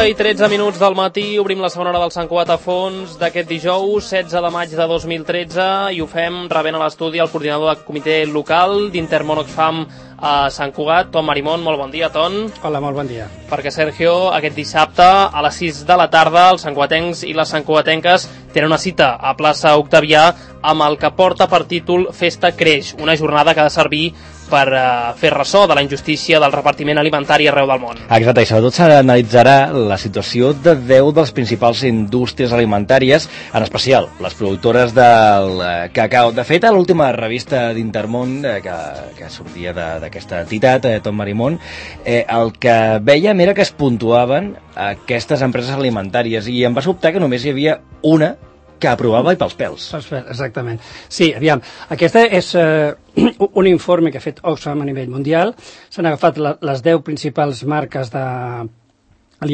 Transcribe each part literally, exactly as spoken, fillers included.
i tretze minuts del matí, obrim la segona hora del Sant Cugat a fons d'aquest dijous, setze de maig de dos mil tretze, i ho fem rebent a l'estudi el coordinador del comitè local d'Intermón Oxfam a Sant Cugat, Ton Marimón. Molt bon dia, Ton. Hola, molt bon dia. Perquè, Sergio, aquest dissabte a les sis de la tarda els santcugatencs i les santcugatenques tenen una cita a plaça Octavià amb el que porta per títol Festa Creix, una jornada que ha de servir per uh, fer ressò de la injustícia del repartiment alimentari arreu del món. Exacte, i sobretot s'analitzarà la situació de deu de les principals indústries alimentàries, en especial les productores del cacau. De fet, a l'última revista d'Intermón eh, que, que sortia d'aquesta entitat, eh, Ton Marimón, eh, el que vèiem era que es puntuaven aquestes empreses alimentàries i em va sobtar que només hi havia una que aprovava i pels pèls. Exactament. Sí, aviam, aquesta és eh, un informe que ha fet Oxfam a nivell mundial. S'han agafat la, les deu principals marques de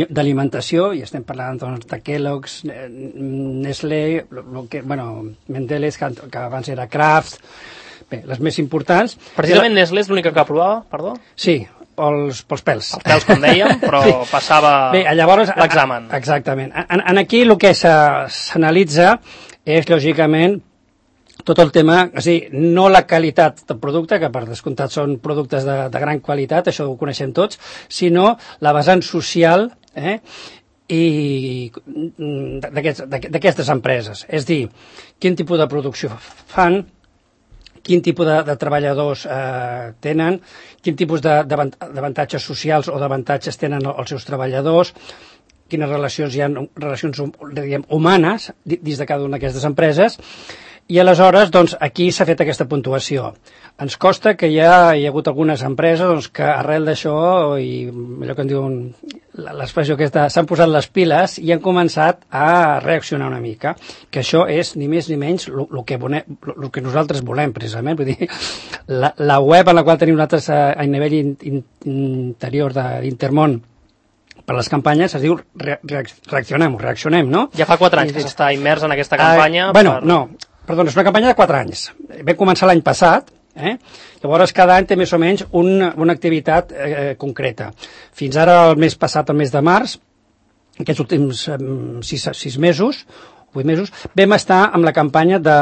d'alimentació, i estem parlant doncs, de Kellogg's, Nestlé, lo que, bueno, Mendelez, que, que abans era Kraft, bé, les més importants. Precisament la... Nestlé és l'única que aprovava, perdó? Sí, pels, pels pèls. Els pèls, com dèiem, però sí. Passava l'examen. Exactament. En, en aquí el que s'analitza és, lògicament, tot el tema, és a dir, no la qualitat del producte, que per descomptat són productes de, de gran qualitat, això ho coneixem tots, sinó la vessant social eh, i d'aquestes empreses. És dir, quin tipus de producció fan, quin tipus de, de treballadors eh, tenen, quin tipus d'avantatges socials o d'avantatges tenen els seus treballadors, quines relacions hi ha, relacions diguem, humanes dins de cada una d'aquestes empreses, i aleshores doncs, aquí s'ha fet aquesta puntuació. Ens costa que hi ha, hi ha hagut algunes empreses doncs, que arrel d'això, i allò que en diuen l'expressió aquesta, s'han posat les piles i han començat a reaccionar una mica, que això és ni més ni menys el que, que nosaltres volem precisament. Vull dir, la, la web en la qual tenim nosaltres a, a nivell in, in, interior d'Intermón per les campanyes es diu re, re, reaccionem, reaccionem, no? Ja fa quatre anys que s'està immers en aquesta campanya. Uh, bueno, per... no, perdó, és una campanya de quatre anys. Vam començar l'any passat, eh? Llavors cada any té més o menys una, una activitat eh, concreta. Fins ara, el mes passat, el mes de març, aquests últims eh, sis, sis mesos, vuit mesos, vam estar amb la campanya de...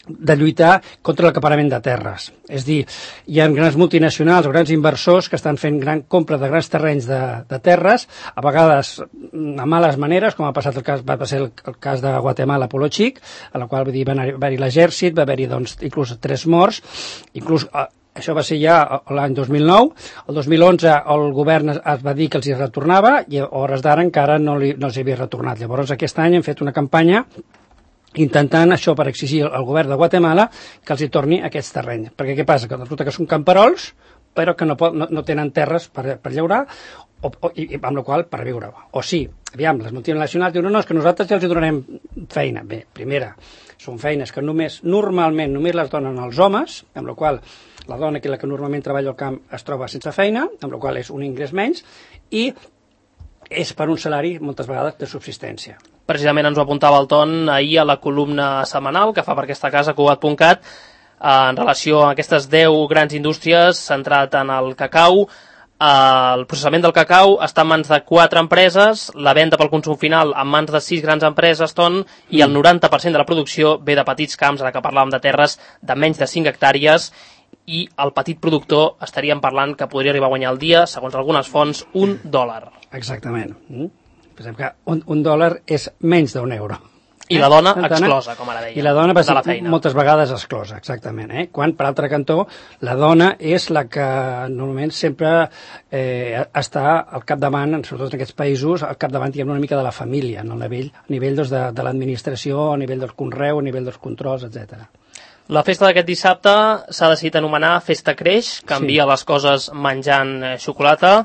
de lluitar contra l'acaparament de terres. És dir, hi ha grans multinacionals o grans inversors que estan fent gran compra de grans terrenys de, de terres, a vegades a males maneres, com ha passat el cas, va ser el, el cas de Guatemala, Polo Chic, a la qual va haver-hi l'exèrcit, va haver-hi doncs, inclús tres morts, inclús eh, això va ser ja l'any dos mil nou, el dos mil onze el govern es va dir que els hi retornava i a hores d'ara encara no, li, no els havia retornat. Llavors aquest any hem fet una campanya intentant això per exigir al govern de Guatemala que els hi torni aquests terrenys. Perquè què passa? Que resulta que són camperols, però que no, pot, no, no tenen terres per, per llaurar, o, o, i, amb la qual per viure. O sí, aviam, les multinacionals diuen no, no, és que nosaltres ja els hi donarem feina. Bé, primera, són feines que només, normalment, només les donen els homes, amb la qual la dona que la que normalment treballa al camp es troba sense feina, amb la qual és un ingrés menys, i és per un salari, moltes vegades, de subsistència. Precisament ens ho apuntava el Ton ahir a la columna setmanal que fa per aquesta casa, cugat punt cat, en relació a aquestes deu grans indústries, centrat en el cacau. El processament del cacau està en mans de quatre empreses, la venda pel consum final en mans de sis grans empreses, Ton, i el noranta per cent de la producció ve de petits camps, ara que parlàvem de terres de menys de cinc hectàrees, i el petit productor estaríem parlant que podria arribar a guanyar al dia, segons algunes fonts, un dòlar. Exactament. Pensem que un, un dòlar és menys d'un euro. I la dona eh? exclosa, com ara deia. I la dona va ser la feina. moltes vegades exclosa, exactament. Eh? Quan, per altre cantó, la dona és la que normalment sempre eh, està al capdavant, sobretot en aquests països, al capdavant, diguem, una mica de la família, no? a nivell, a nivell doncs, de, de l'administració, a nivell del conreu, a nivell dels controls, etcètera. La festa d'aquest dissabte s'ha decidit anomenar Festa Creix, canvia sí. les coses menjant xocolata.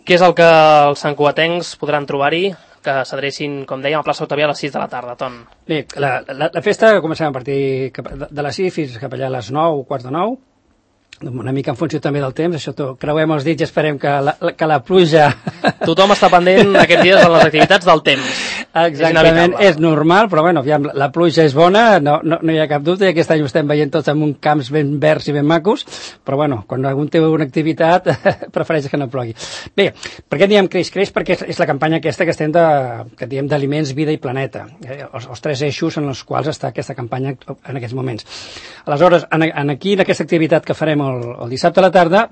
Què és el que els santcugatencs podran trobar-hi? Que s'adrecin, com dèiem, a plaça Octavià a les sis de la tarda, Ton. Bé, la, la, la festa comencem a partir de, de les sis fins cap allà a les nou, quarts de nou, una mica en funció també del temps, això to, creuem els dits i esperem que la, que la pluja... Tothom està pendent aquests dies de les activitats del temps. Exactament, és, és normal, però bueno, aviam, la pluja és bona, no, no, no hi ha cap dubte, i aquest any ho estem veient tots en un camps ben verds i ben macos, però bueno, quan algun té una activitat, prefereix que no plogui. Bé, per què diem creix? Creix perquè és, és la campanya aquesta que estem de, que diem d'aliments, vida i planeta, eh? els, els tres eixos en els quals està aquesta campanya en aquests moments. Aleshores, en, en aquí, en aquesta activitat que farem el, el dissabte a la tarda,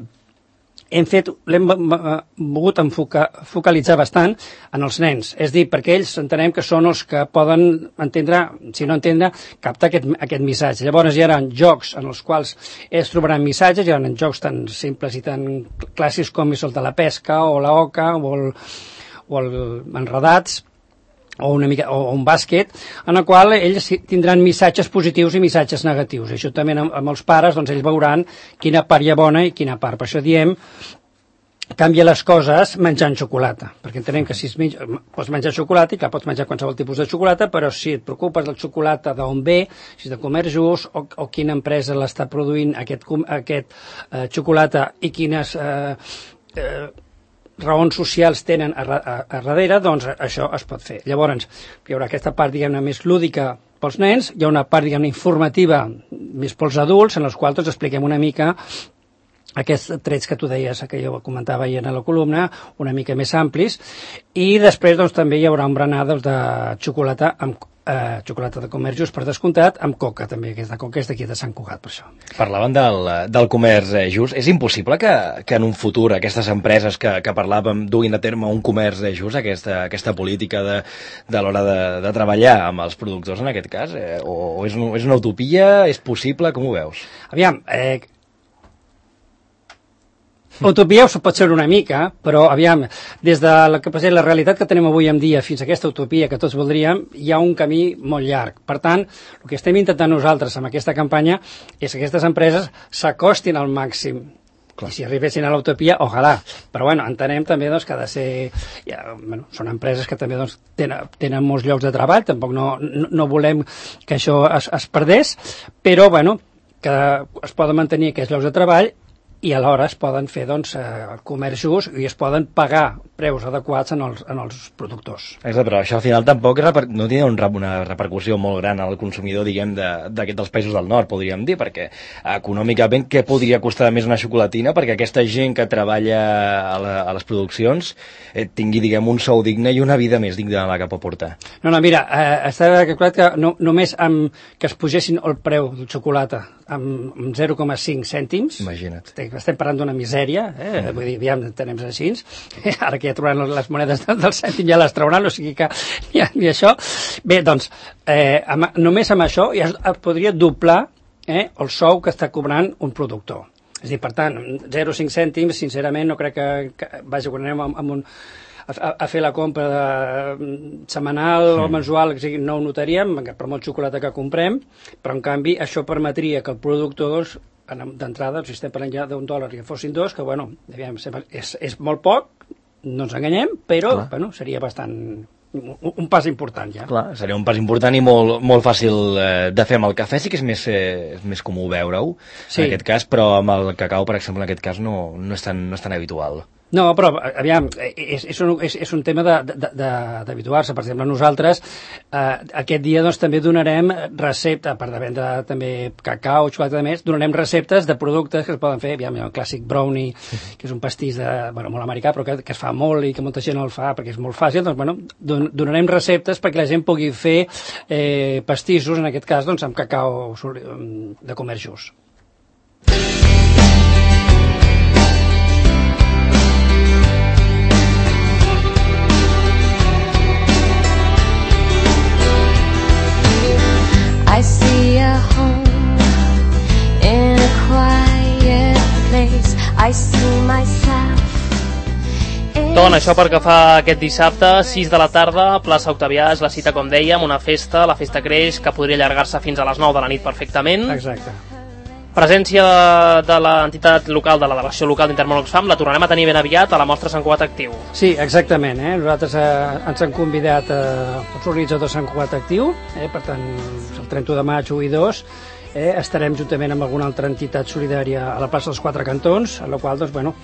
hem fet, l'hem volgut enfocar, focalitzar bastant en els nens, és dir, perquè ells entenem que són els que poden entendre, si no entendre, captar aquest, aquest missatge. Llavors hi haurà jocs en els quals ells trobaran missatges, hi haurà jocs tan simples i tan clàssics com és el de la pesca o la oca o el, o el enredats, o una mica, o un bàsquet, en el qual ells tindran missatges positius i missatges negatius. I això també amb, amb els pares, doncs ells veuran quina part hi ha bona i quina part. Per això diem, canvia les coses menjant xocolata, perquè entenem que si es menja, pots menjar xocolata, i clar, pots menjar qualsevol tipus de xocolata, però si et preocupes del xocolata d'on ve, si és de Comerç Just, o, o quina empresa l'està produint aquest, aquest eh, xocolata i quines eh, eh, raons socials tenen a, a, a darrere, doncs això es pot fer. Llavors, hi haurà aquesta part, diguem-ne, més lúdica pels nens, hi ha una part, diguem-ne, informativa més pels adults, en els quals doncs, expliquem una mica aquests trets que tu deies, que jo comentava ahir en la columna, una mica més amplis, i després doncs, també hi haurà un berenar doncs, de xocolata amb eh, xocolata de Comerç Just, per descomptat, amb coca també, aquesta coca és d'aquí de Sant Cugat, per això. Parlaven del, del Comerç Just. És impossible que, que en un futur aquestes empreses que, que parlàvem duguin a terme un Comerç Just, aquesta, aquesta política de, de l'hora de, de treballar amb els productors en aquest cas? Eh, o o és, un, és una utopia? És possible? Com ho veus? Aviam, eh, utopia ho pot ser una mica, però aviam, des de la, la realitat que tenim avui en dia fins a aquesta utopia que tots voldríem, hi ha un camí molt llarg. Per tant, el que estem intentant nosaltres amb aquesta campanya és que aquestes empreses s'acostin al màxim. Clar. I si arribessin a l'utopia, ojalà. Però bueno, entenem també doncs, que ha de ser... Ja, bueno, són empreses que també doncs, tenen, tenen molts llocs de treball, tampoc no, no, no volem que això es, es perdés, però bueno, que es poden mantenir aquests llocs de treball i alhora es poden fer doncs, el Comerç Just i es poden pagar preus adequats en els, en els productors. Exacte, però això al final tampoc reper... no té un, una repercussió molt gran al consumidor, diguem, de, de, dels països del nord, podríem dir, perquè econòmicament què podria costar més una xocolatina perquè aquesta gent que treballa a, la, a les produccions eh, tingui, diguem, un sou digne i una vida més digna de la que pot portar. No, no, mira, eh, està calculat que no, només amb que es pugessin el preu del xocolata amb, amb zero coma cinc cèntims, imagina't. Estem parlant d'una misèria, eh? Mm. Vull dir, aviam, tenem així, ara que ja trobaran les monedes del, del cèntim ja les trauran, o sigui que ni, ni això. Bé, doncs, eh, amb, només amb això ja es, es podria doblar eh, el sou que està cobrant un productor. És a dir, per tant, zero coma cinc cèntims, sincerament, no crec que, que vaja, quan anem amb, amb un, a, a fer la compra de, setmanal sí. o mensual, que sigui, no ho notaríem, per molt xocolata que comprem, però en canvi això permetria que el productor d'entrada, si estem parlant ja d'un dòlar i que fossin dos, que bueno, és, és molt poc, no ens enganyem, però bueno, seria bastant un, un pas important ja. Clar, seria un pas important i molt, molt fàcil eh, de fer amb el cafè, sí que és més, eh, és més comú veure-ho sí. en aquest cas, però amb el cacau, per exemple, en aquest cas no, no, és, tan, no és tan habitual. No, però, aviam, és, és, un, és, és un tema d'habituar-se. Per exemple, nosaltres eh, aquest dia doncs, també donarem recepta, a part de vendre també cacau, xocolata de més, donarem receptes de productes que es poden fer, aviam, el clàssic brownie, que és un pastís de, bueno, molt americà, però que, que es fa molt i que molta gent el fa perquè és molt fàcil, doncs, bueno, don, donarem receptes perquè la gent pugui fer eh, pastissos, en aquest cas, doncs, amb cacau de Comerç Just. I see a home in a quiet place. I see myself. Doncs això pel que fa aquest dissabte, sis de la tarda, plaça Octavià, és la cita, com dèiem, una festa, la festa creix, que podria allargar-se fins a les nou de la nit perfectament. Exacte. Presència de l'entitat local, de la delegació local d'Intermón Oxfam, la tornarem a tenir ben aviat a la mostra Sant Cugat Actiu. Sí, exactament. Eh? Nosaltres eh, ens han convidat eh, els organitzadors Sant Cugat Actiu, eh? Per tant, el trenta de maig, u i dos, eh? estarem juntament amb alguna altra entitat solidària a la plaça dels Quatre Cantons, a la qual, doncs, bueno,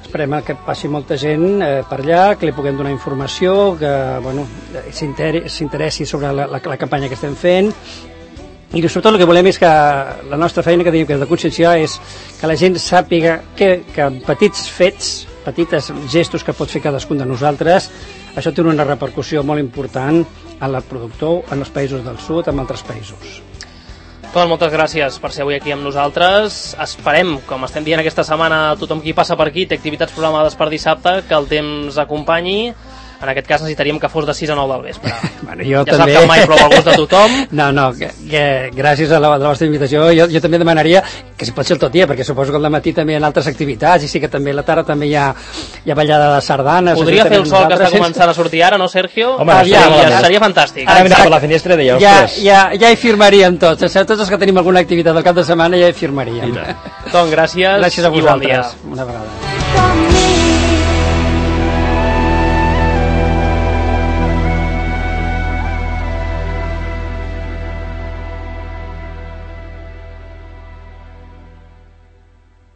esperem que passi molta gent eh, per allà, que li puguem donar informació, que bueno, s'interessi sobre la, la, la campanya que estem fent, i sobretot el que volem és que la nostra feina que tenim que és de conscienciar és que la gent sàpiga que, que amb petits fets, petites gestos que pot fer cadascun de nosaltres, això té una repercussió molt important en el productor, en els països del sud, en altres països. Ton, moltes gràcies per ser avui aquí amb nosaltres. Esperem, com estem dient aquesta setmana, tothom qui passa per aquí té activitats programades per dissabte, que el temps acompanyi. En aquest cas necessitaríem que fos de sis a nou del vespre. Bueno, jo ja també... sap que mai prou el gust de tothom. No, no, que, que gràcies a la, a la vostra invitació jo, jo també demanaria que si pot ser el tot dia, perquè suposo que al matí també hi ha altres activitats i sí que també a la tarda també hi ha, hi ha ballada de sardanes. Podria fer el sol que està començant a sortir ara, no, Sergio? Home, ja, ja, ja, seria fantàstic. Ara mirat per la finestra i deia, ostres. Ja, ja, ja hi firmaríem tots, tots els que tenim alguna activitat al cap de setmana ja hi firmaríem. Ton, gràcies, gràcies a i bon dia. Una vegada.